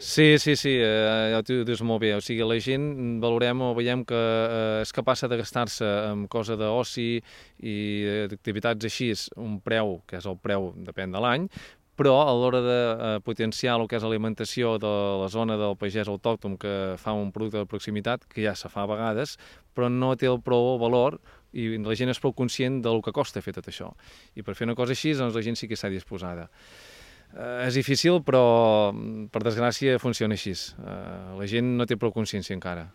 Sí, sí, sí, ja ho dius molt bé. O sigui, la gent valorem o veiem que és capaç de gastar-se en cosa d'oci i d'activitats així un preu, que és el preu, depèn de l'any, però a l'hora de potenciar el que és alimentació de la zona del pagès autòcton que fa un producte de proximitat, que ja se fa a vegades, però no té el prou valor i la gent és prou conscient del que costa fer tot això. I per fer una cosa així, doncs la gent sí que està disposada. És difícil, però per desgràcia funciona així. La gent no té prou consciència encara.